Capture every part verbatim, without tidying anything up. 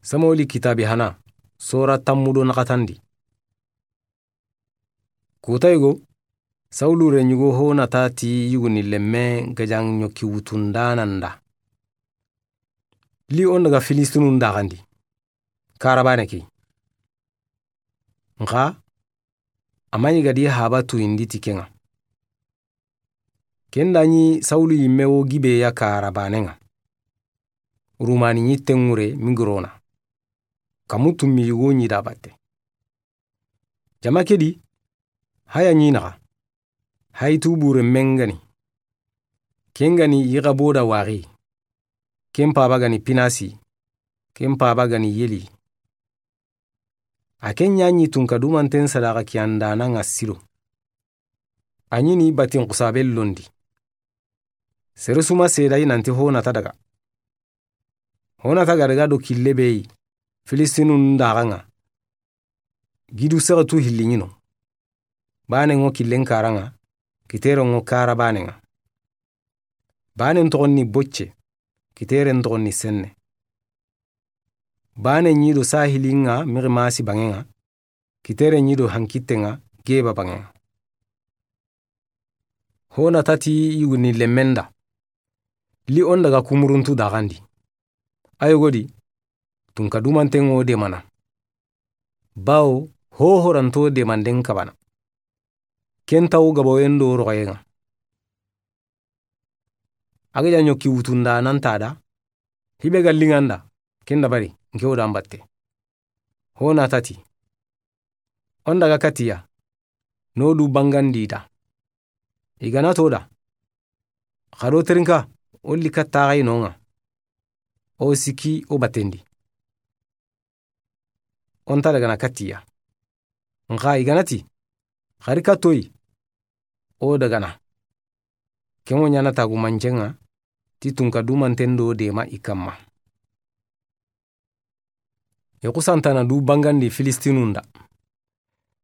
Samuweli kitaabi hana, sora tanmu do naxatandi. Kuta yigo, Sawulu renyugo Honata ti yuguni lemme gajan ɲoki wutundaana nda. Li o n daga Filistinun daxandi. Karabane ke. Nxa, a ma ɲi gadi haba tuyindi ti ke ŋa. Ken da ɲi Sawulu yimme wo Gibeya kara baane ŋa. Rumani ɲi teŋure Migirona. Kamu tummi yugo ɲi da batte. Jama ke di, haya ɲi naxa. Hayi tu bure mengani. Ken gani yiga boda waxi. Ken paba gani Pinasi. Ken paba gani Yeli. A ken ɲa ɲi tunka dumanten sadaxa kiyandana ŋa Silo. A ɲi ni batin xusabe londi. Sere suma seedayi nanti Honata daga. Honata ga daga do kille beyi Filistinun daxa ŋa. Gidu sexatu hilli ɲi no. Baane ŋo killen kara ŋa, kitere ŋo kara baane ŋa. Baane n toxon ni Bocce, kitere n toxon ni Senne. Baane ɲi do sahili ŋa Miximasi bange ŋa, kitere ɲi do hankitte ŋa Geba bange ŋa. Honata ti yuguni lemmen da. Li o n daga kumuruntu daxandi. A yogo di, tunka dumanten ŋo demana. Bawo, hohoranto demanden kabana. Ken tawo gaboyen do roxoyen ŋa. A ga ja ɲoki wutunda nan ta da, hibe ga liŋa n da, ken dabari, nke wo da n batte. Honata ti. O n daga katiya, no du bangandi da. I gana to da. Xa do terinka, o li katta xa i no ŋa. O siki o batendi. O n ta dagana katiya. Nxa i gana ti, xari katoyi, o dagana. Ken wo ɲana tagu mancenŋa, ti tunka dumanten do dema i kamma. I xusantana du bangandi Filistinun da.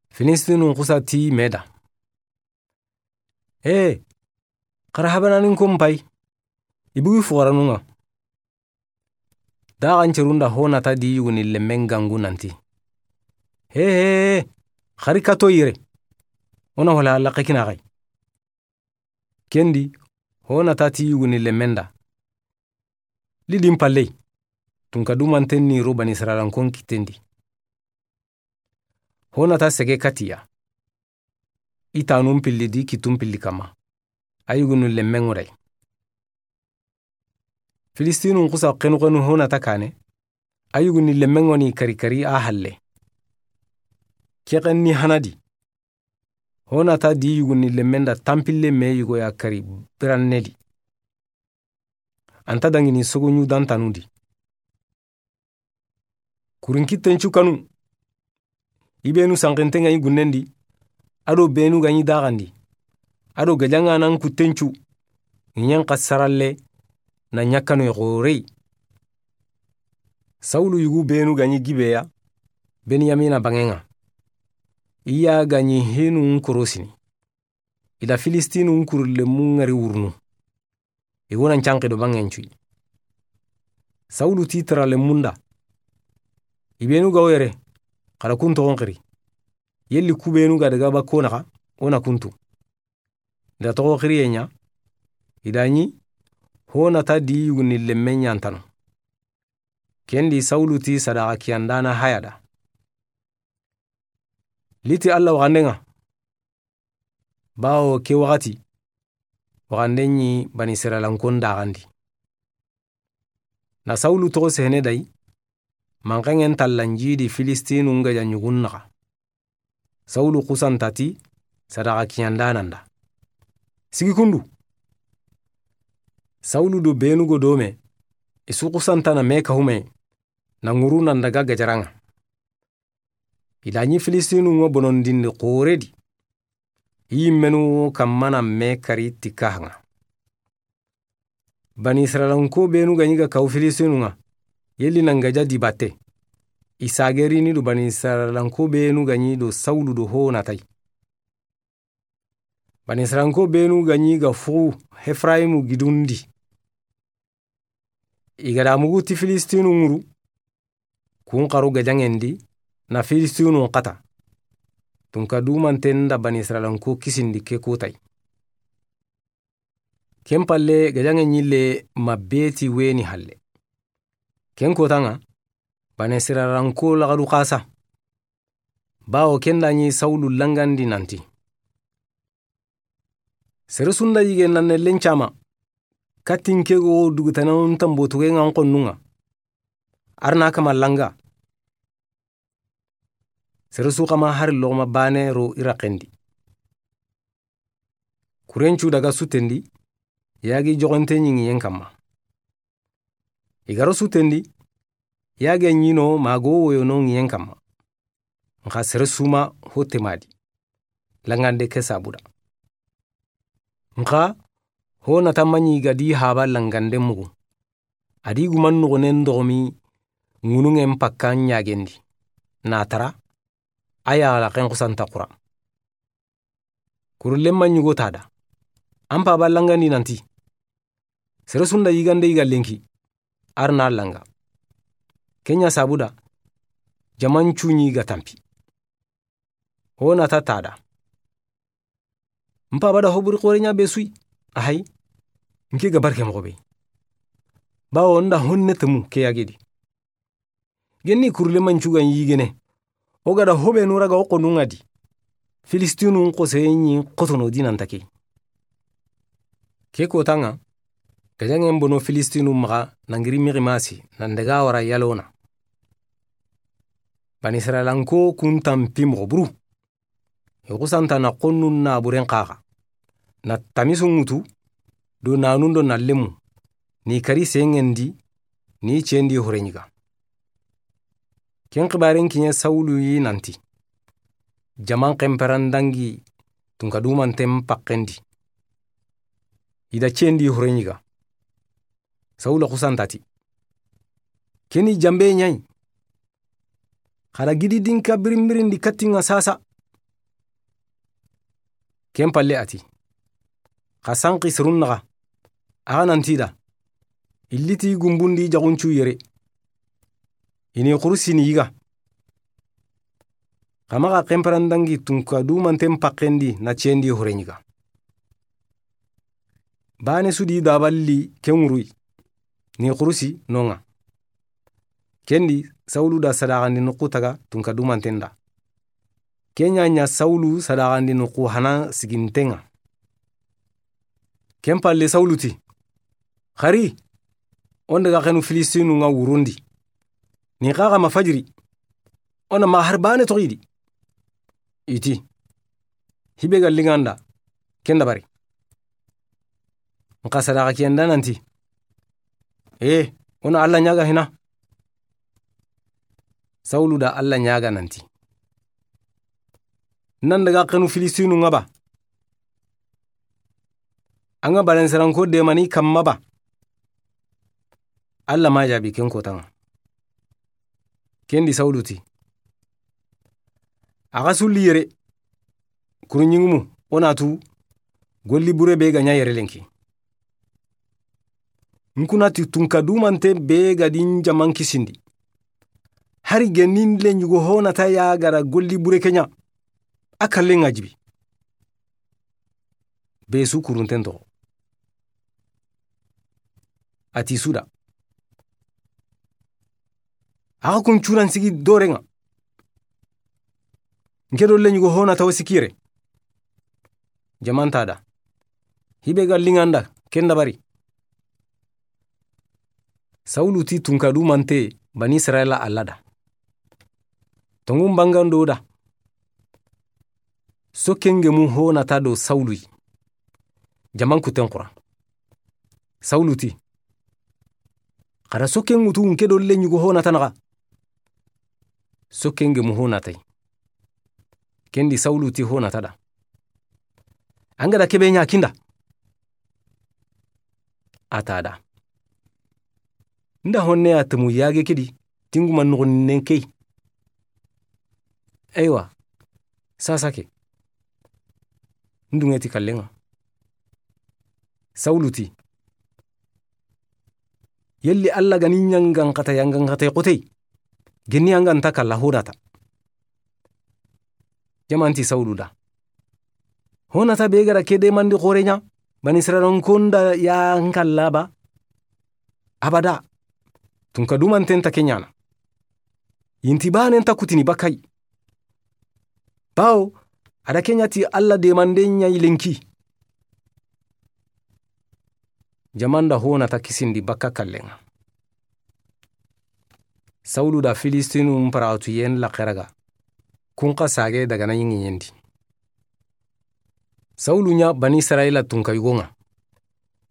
Filistinun xusa ti me da. Ee, xara habananin ko n pay. I bugi fuxaranun ŋa. Daxancerun da Honata di yuguni lemmen gangu nanti. Hee, hee, hee, xari kato yire. O na wala laxe kina xay. Ken di, Honata ti yuguni lemmen da. Li di n palley, tunka dumanten ni ro Banisirayila n ko n kitten di. Honata sege katiya. I tanun pilli di kittun pilli kamma. A yugunu lemmen ŋo day. Filistinun xusa xenu xenu Honata kane. A yuguni lemmen ŋo ni kari kari a halle. Ke xen ni hana di. Honata di yuguni lemmen da tanpille me yugo ya kari biranne di. An ta dangini sogoɲu dantanu di. Kurinki tencu kanu. I benu sanxinten ŋa i gunnen di. A do benu ga ɲi daxandi. A do gajaŋanan ku tencu. I ɲen xa saralle na ɲakkanu i xorey. Sawulu yugu benu ga ɲi Gibeya, Benyamina bange ŋa. I ya ga ɲi hinu n korosini. I da Filistinun kuru lemmu ŋari wurunu. I wo na n canqi do bangen cuyi. Sawulu ti tara lemmun da. I benu ga wo yere, xara kun toxon xiri. Yelli ku benu ga daga bakko naxa, wo na kuntu. I da toxo xiriye ɲa, i da ɲi, Honata di yuguni lemmen ɲantano. Ken di Sawulu ti sadaxa kiyandana haya da. Li ti Alla waxanden ŋa. Bawo ke waxati, waxanden ɲi Banisirayila n ko n daxandi. Na Sawulu toxo sehene day, manxenŋen tallanji di Filistinun gajaɲugun naxa. Sawulu xusanta ti sadaxa kiyandana nda. Sigi kundu. Sawulu do benu go dome, i su xusantana me kahume, na ŋuru nan daga gajaraŋa. I da ɲi Filistinun ŋo bonondindi xore di. I yimmenu wo kammana me kari ti kahaŋa. Banisirayilanko benu ga ɲi ga kawu Filistinun ŋa, yelli nan gaja di batte. I sagerini do Banisirayilanko benu ga ɲi do Sawulu do Honatay. Banisirayilanko benu ga ɲi ga fuxu Hefrayimu gidundi. I ga da mugu ti Filistinun ŋuru. Kun xaru gajaŋen di, na Filistinun xata. Tunka dumanten da Bani Israilanko kisindi ke kutay. Ken palle, gajaŋe ɲille ma beti weni halle. Ken kotaŋa, Bani Israilanko laxadu xasa. Bawo ken da ɲi Sawulu langandi nanti: Sere su nda yige nan ne lencama, katin ke go dugutanan tambotuge ŋa n xonnun ŋa. Arna kama langa. Sere su xama hari loxoma bane ro i raxen di. Kurencu daga sutendi, yagi joxonte ɲi ŋiyen kamma. I garo sutendi, yage ɲino mago woyono ŋiyen kamma. Nxa sere suma hotte madi. Langande ke sabuda. Nxa ho nata maɲi gadi haba langande mugu. Adi guman noxonen doxomi ŋunuŋen pakkan ɲagendi. Na tara, a yaxala xen xusanta xura. Kurullen ma ɲugo tada. An paba langandi nanti: Sere su nda yigande yiga lenki, arna langa. Kenya sabuda, jaman cuɲi ga tampi. Ho nata tada. N paba da hoburi xore ɲa be suyi. Ahay. Nke ga barke moxo be. Bawo nda honne temu ke yagedi. Genni kurle mancugan yigene. O gada hobe nura ga o xonun ŋa di. Filistinun xose ɲi xotono di nanta ke. Ke kotaŋa, gajaŋen bono Filistinun maxa nangiri Miximasi nan daga wara Yalona. Bani Israilanko kun tampi moxo buru. I xusanta na xonnun naburen xaxa. Na tamisu ŋutu, do nanun do na lemu, ni kari sengendi, ni cendi horeɲiga. Ken xibaren kiɲe Sawulu yi nanti: Jaman xenperan dangi tunka dumanten paxendi. I da cendi horeɲiga. Sawula xusantati: Keni jambe ɲayi. Xara gidi dinka birinbirindi kattinŋa sasa. Ken palle ati: Xa sanqi serun naxa. Axa nanti da: Illiti gumbundi jaxuncu yere. Ini xurusini yiga. Xa maxa xenperan dangi tunka dumanten paxendi na cendi horeɲiga. Bane sudi daballi ken ŋuruyi, ni xurusi noŋa. Kendi Sawulu da sadaxandi noxu taga tunka dumanten da. Kenya ɲa Sawulu sadaxandi noxu hana sigintenŋa. Ken palle Sawulu ti: Xari, o n daga xenu Filistinun ŋa wurundi. Ni xaxa ma fajiri. O na ma har bane toxidi. Iti: Hibe ga linganda, ken dabari. Nxa sadaxa kiyanda nanti: E, o na Alla ɲaga hina. Sawulu da Alla ɲaga nanti: Nan daga xenu Filistinun ŋa ba? An ga balansaranko demani kamma ba? Alla ma jabi ken kotaŋa. Kendi Sawulu ti: Axa sulli yere, kuruɲingumu, o na tu, golli bure be ga ɲa yere lenki. N kuna ti tunka dumante be ga di n jaman kisindi. Hari genin le ɲugo ho nata ya gara golli bure ke ɲa. A kallen ŋa jibi. Be su kurunten toxo. Ati suda. Axa kun curan sigi dorenŋa. Nke do le ɲugo ho nata wo sikire. Jamanta da. Hibe ga linganda, ken dabari. Sawulu ti tunka dumante Bani Israila Alla da: Tongun bangando da. Sokkengemu ho nata do Sawulu yi. Jaman kuten xura. Sawulu ti: Xara sokken ŋutu nke do le ɲugo ho nata naxa. Sokkengemu ho natay. Kendi Sawulu ti ho nata da: An ga da kebe ɲa kinda. A ta da. Nda honne a temu yage kedi, tinguma noxonnen key. Eywa, sasa ke. N dunŋe ti kallen ŋa. Sawulu ti: Yelli Alla ga ni ɲangan xata yangan xata xotey? Geni an ga nta kalla Honata. Jamanti Sawulu da. Honata be ga ra ke demandi xoore ɲa, Bani Israyila n konda ya n kalla ba. Abada. Tunka dumanten ta ke ɲaana. Yinti baanen ta kutini bakay. Bawo, a da ke ɲa ti Alla demanden ɲa i lenki. Jaman da Honata kisindi bakka kallen ŋa. Sawulu da Filistinun paratuyen laxeraga. Kun xa sage daga na ɲiŋiɲendi. Sawulu ɲa Bani Israyila tunka yugo ŋa.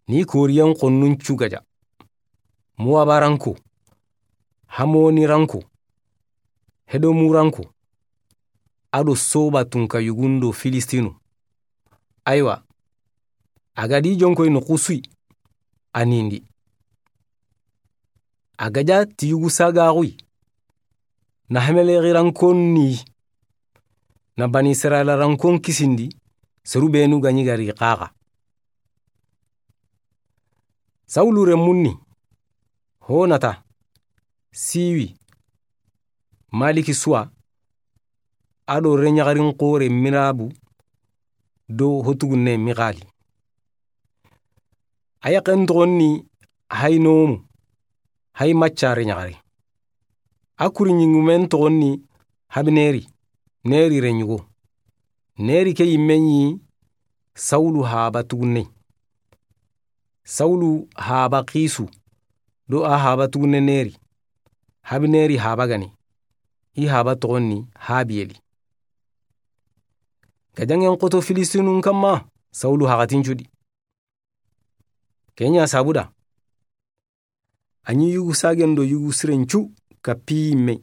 Ni koriyen xonnun cugaja. Muwabaranko, Hamoniranko, Hedomuranko, a do Soba tunka yugun do Filistinu. Aywa, a ga di jonkoy no xusuy, a nindi. A gaja ti yugu sagaxuy. Na Hamelexirankon ni, na Bani Israyila rankon kisindi, seru benu ga ɲi gari xaxa. Sawulu renmun ni, Honata, Siwi, Maliki Suwa, a do reɲaxarin xoore Mirabu do hotugunne Mixali. A yaxen toxon ni Haynomu, hay macca reɲaxare. A kuri ɲingumen toxon ni Habineri, Neri reɲugo. Neri ke yimmen ɲi Sawulu haba tugunne. Sawulu haba Xisu, do a haba tugunne Neri. Habineri haba gani. I haba toxon ni Habiyeli. Gajaŋen xoto Filistinun kanma, Sawulu haxatin cudi. Ke ɲa sabuda. A ɲi yugu sagen do yugu siren cu kappi yimme.